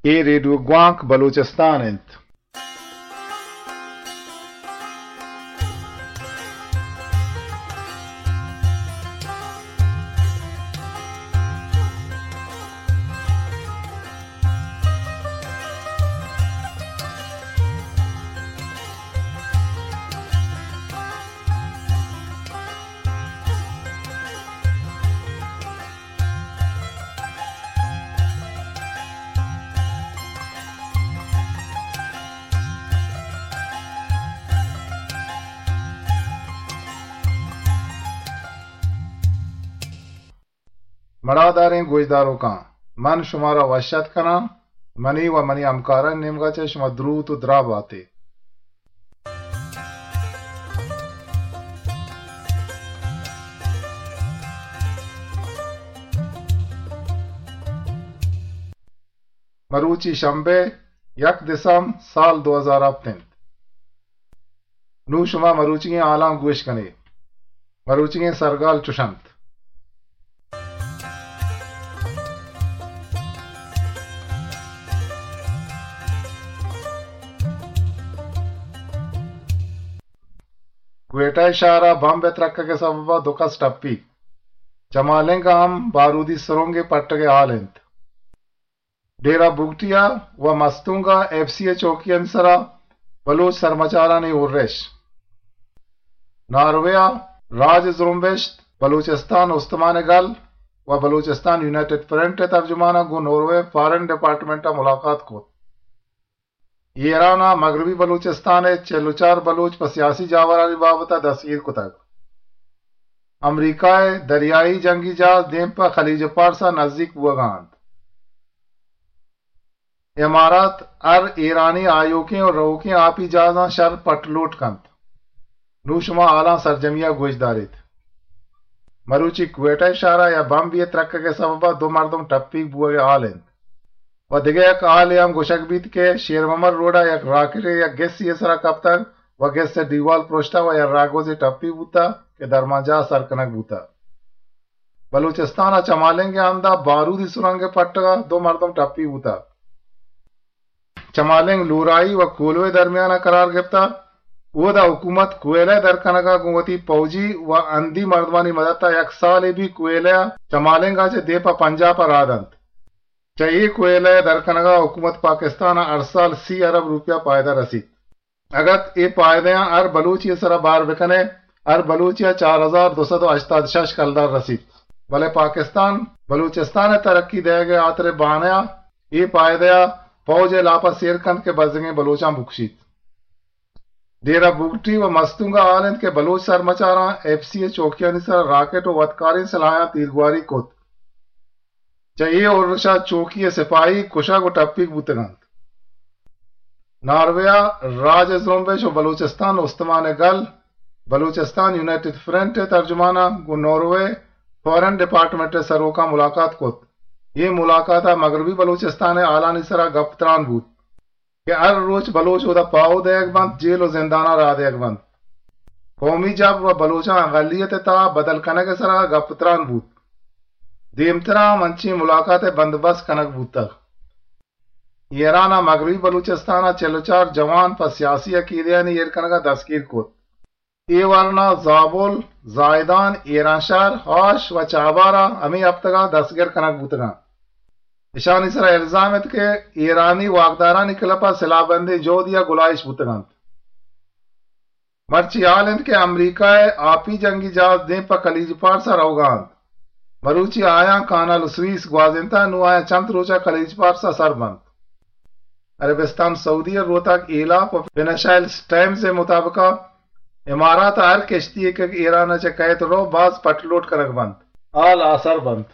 اے ریڈیو گوانک بلوچستان انت۔ مڑاداریں گوشداروکاں، من شمارا وش اتک کناں۔ منی و منی ہمکارانی نیمگا چہ شما دروت و دراہ باتے۔ مروچی شمبے، یک دسمبر سال دو ہزار ہپت انت۔ نوں شما مروچیگیں حالاں گوش کنے۔ مروچیگیں سرگال چش انت۔ کوئٹہ شہر ء بمب ء ترکگ ء سبب ء دو کس ٹپی۔ چمالنگ ء ہم بارودی سرنگے پٹگ ء حال انت۔ ڈیرہ بگٹی ء و مستونگ ء ایف سی ء چوکیانی سرا بلوچ سرمچارانی اورش۔ ناروے ء راج زرمبشت بلوچستان استمان گل و بلوچستان یونائیٹڈ فرنٹ ء ترجمان ء گوں ناروے فارن ڈیپارٹمنٹ ء ملاقات کت۔ ایران ء مغربی بلوچستان ء چل و چار بلوچ پہ سیاسی جاورانی بابت ء دستگیر کتگ۔ امریکہ ء دریائی جنگی جہاز دیم پہ خلیج پارس ء نزیک بوگ ء انت۔ امارات ہر ایرانی آیوکیں و روکیں آپی جہازاں شر پٹ لوٹ کنت۔ نوں شما حالاں سرجمی ء گوش داریت۔ مروچی کوئٹہ شہر ء یا بمبے ء ترکگ ء سبب ء دو مردم ٹپیگ بوگ ء حال انت۔ و دگہ یک حالے ہم گوشگ بیت کہ شیر محمد روڈ ء یک راکٹے یک گسے ء سرا کپتگ و گس ء ڈیوال پرشتہ و یک راگوزے ٹپی بوتہ کہ درمانجاہ سر کنگ بوتہ۔ بلوچستان ء چمالنگ ء ہند ء بارودی سرنگ ء پٹگ ء دو مردم ٹپی بوتہ۔ چمالنگ لورائی و کولوہ درمیان ء قرار گپتہ۔ اودا حکومت کوئلہ در کنگ ء گوں وتی پوجی و ہندی مردمانی مدت ء یک سالے بھی کوئلہ ء چمالنگ ء چہ دیم پہ پنجاب ء راہ دنت۔ چہ اے کوئلہ ء در کنگ ء حکومت پاکستان ء ہر سال سی ارب روپیہ پائدہ رسیت۔ اگت اے پائدہاں ہر بلوچی ء سرا بار بکنے، ہر بلوچی ء چار ہزار دو سد و ہشتاد شش کلدار رسیت۔ بلے پاکستان بلوچستان ء ترقی دئیگ ء ہاتر ء بانہ ء اے پائدہ ء پوج ء لاپ ء سیر کنت کہ بزگیں بلوچاں بکشیت۔ ڈیرہ بگٹی و مستونگ ء حال انت کہ بلوچ سرمچاراں ایف سی ء چوکیانی سرا راکٹ و وتکاریں سلاحاں تیرگواری کت۔ چہ اے ارش ء چوکی ء سپاہی کشگ و ٹپیگ بوتگ انت۔ ناروے ء راج ء زرمبش و بلوچستان استمان ء گل، بلوچستان یونائیٹڈ فرنٹ ء ترجمان ء گوں ناروے فارن ڈیپارٹمنٹ ء سروکاں ملاقات کت۔ اے ملاقات ء مغربی بلوچستان ء حالانی سرا گپ تران بوت۔ کہ ہر روچ بلوچ اودا پاہو دئیگ بنت، جیل و زنداناں راہ دئیگ بنت۔ قومی جبر و بلوچاں اقلیت ء تہا بدل کنگ ء سرا گپ تران بوت۔ دیمترا ہم انچیں ملاقات ء بندوبست کنگ بوتگ۔ ایران ء مغربی بلوچستان ء چل و چار جوان پہ سیاسی عقیدہانی ایر کنگ ء دستگیر کت۔ اے ورنا زابل، زاہدان، ایرانشہر، ہاش و چابہار ء ہمے ہپتگاں دستگر کنگ بوتگاں۔ اشانی سرا الزام ات کہ ایرانی واکدارانی کلپ ء سلاہ بندیں جہدی ء گلائیش بوتگ انت۔ مرچی حال انت کہ امریکہ ء آپی جنگی جہاز دیم پہ خلیج پارس ء روگا انت۔ مروچی آیاں کانال سوئیس گوازینتہ، نوں آیاں چنت روچ ء خلیج پارس ء سر بنت۔ عربستان سعودی ء روتاک ایلاپ و فنانشل ٹائمز ء مطابق ء امارات ء ہر کشتی یے کہ ایران ء چہ کئیت رو باز پٹ لوٹ کنگ بنت، حال آسر بنت۔